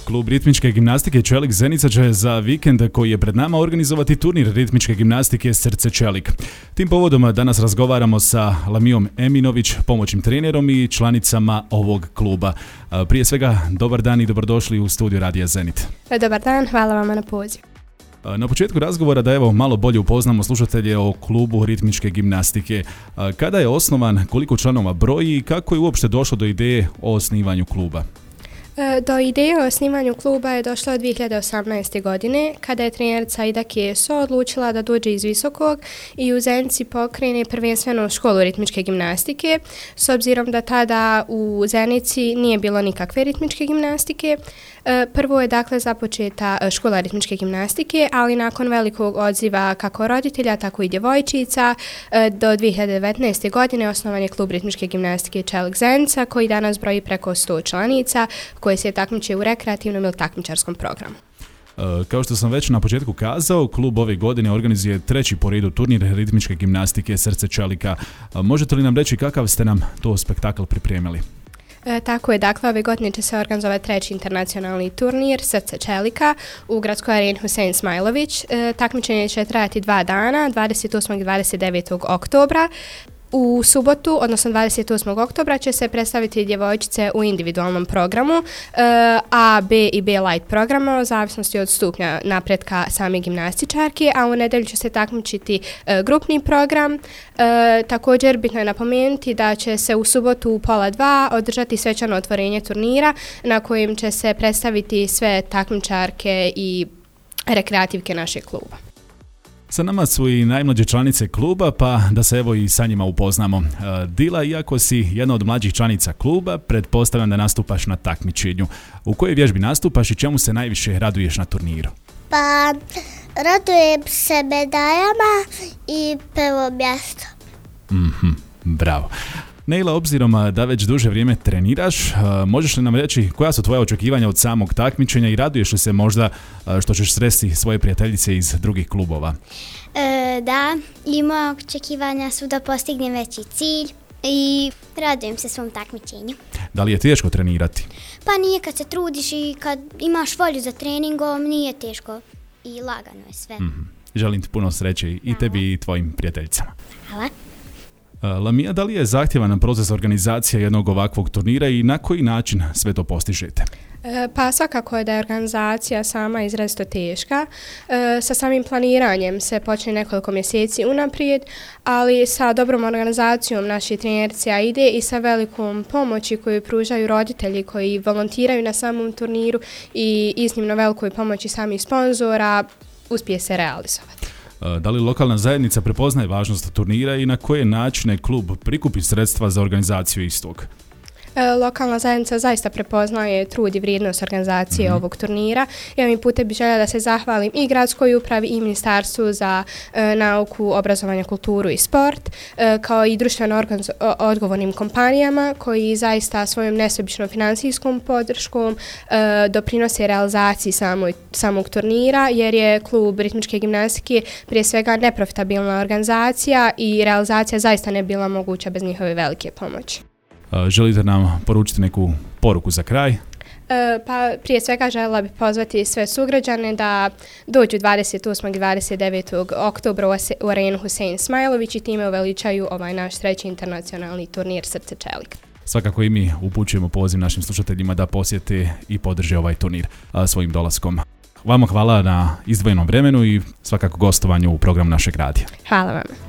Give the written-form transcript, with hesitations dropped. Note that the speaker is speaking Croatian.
Klub ritmičke gimnastike Čelik Zenica će za vikend koji je pred nama organizovati turnir ritmičke gimnastike Srce Čelik. Tim povodom danas razgovaramo sa Lamijom Eminović, pomoćnim trenerom i članicama ovog kluba. Prije svega, dobar dan i dobrodošli u studiju Radija Zenit. Dobar dan, hvala vam na poziv. Na početku razgovora da malo bolje upoznamo slušatelje o klubu ritmičke gimnastike. Kada je osnovan, koliko članova broji i kako je uopšte došlo do ideje o osnivanju kluba? Do ideje o osnivanju kluba je došlo 2018. godine kada je trenerica Ida Keso odlučila da dođe iz Visokog i u Zenici pokrene prvenstveno školu ritmičke gimnastike, s obzirom da tada u Zenici nije bilo nikakve ritmičke gimnastike. Prvo je dakle započeta škola ritmičke gimnastike, ali nakon velikog odziva kako roditelja, tako i djevojčica, do 2019. godine osnovan je klub ritmičke gimnastike Čelik Zenica koji danas broji preko 100 članica koje se takmiče u rekreativnom ili takmičarskom programu. Kao što sam već na početku kazao, klub ove godine organizuje treći po redu turnir ritmičke gimnastike Srce Čelika. Možete li nam reći kakav ste nam to spektakl pripremili? Tako je, dakle, ove godine će se organizovati treći internacionalni turnir Srce Čelika u gradskoj areni Husein Smajlović. Takmičenje će trajati 2 dana, 28. i 29. oktobra. U subotu, odnosno 28. oktobra, će se predstaviti djevojčice u individualnom programu A, B i B light programa, u zavisnosti od stupnja napretka same gimnastičarke, a u nedjelju će se takmičiti grupni program. Također bitno je napomenuti da će se u subotu u 1:30 održati svečano otvorenje turnira na kojem će se predstaviti sve takmičarke i rekreativke našeg kluba. Sa nama su i najmlađe članice kluba, pa da se evo i sa njima upoznamo. Dila, iako si jedna od mlađih članica kluba, pretpostavljam da nastupaš na takmičenju. U kojoj vježbi nastupaš i čemu se najviše raduješ na turniru? Pa, radujem se medaljama i prvo mjesto. Bravo. Neila, obzirom da već duže vrijeme treniraš, možeš li nam reći koja su tvoja očekivanja od samog takmičenja i raduješ li se možda što ćeš sresti svoje prijateljice iz drugih klubova? Da, i moja očekivanja su da postignem veći cilj i radujem se svom takmičenju. Da li je teško trenirati? Pa nije, kad se trudiš i kad imaš volju za treningom, nije teško i lagano je sve. Želim ti puno sreće i tebi i tvojim prijateljicama. Hvala. Lamija, da li je zahtjevan proces organizacije jednog ovakvog turnira i na koji način sve to postižete? Pa svakako je da je organizacija sama izrazito teška. Sa samim planiranjem se počne nekoliko mjeseci unaprijed, ali sa dobrom organizacijom naših trenerica ide i sa velikom pomoći koju pružaju roditelji koji volontiraju na samom turniru i iznimno velikoj pomoći samih sponzora uspije se realizovati. Da li lokalna zajednica prepoznaje važnost turnira i na koje načine klub prikupi sredstva za organizaciju istog? Lokalna zajednica zaista prepoznaje trud i vrijednost organizacije ovog turnira. Ja mi putem bih željela da se zahvalim i gradskoj upravi i Ministarstvu za nauku, obrazovanje, kulturu i sport, kao i društveno odgovornim kompanijama koji zaista svojom nesebičnom financijskom podrškom doprinose realizaciji samog turnira, jer je klub ritmičke gimnastike prije svega neprofitabilna organizacija i realizacija zaista ne bila moguća bez njihove velike pomoći. Želite nam poručiti neku poruku za kraj? Pa prije svega željela bih pozvati sve sugrađane da dođu 28. i 29. oktobra u arenu Husein Smajlović i time uveličaju ovaj naš treći internacionalni turnir Srce Čelik. Svakako i mi upućujemo poziv našim slušateljima da posjete i podrže ovaj turnir svojim dolaskom. Vama hvala na izdvojenom vremenu i svakako gostovanju u programu našeg radija. Hvala vam.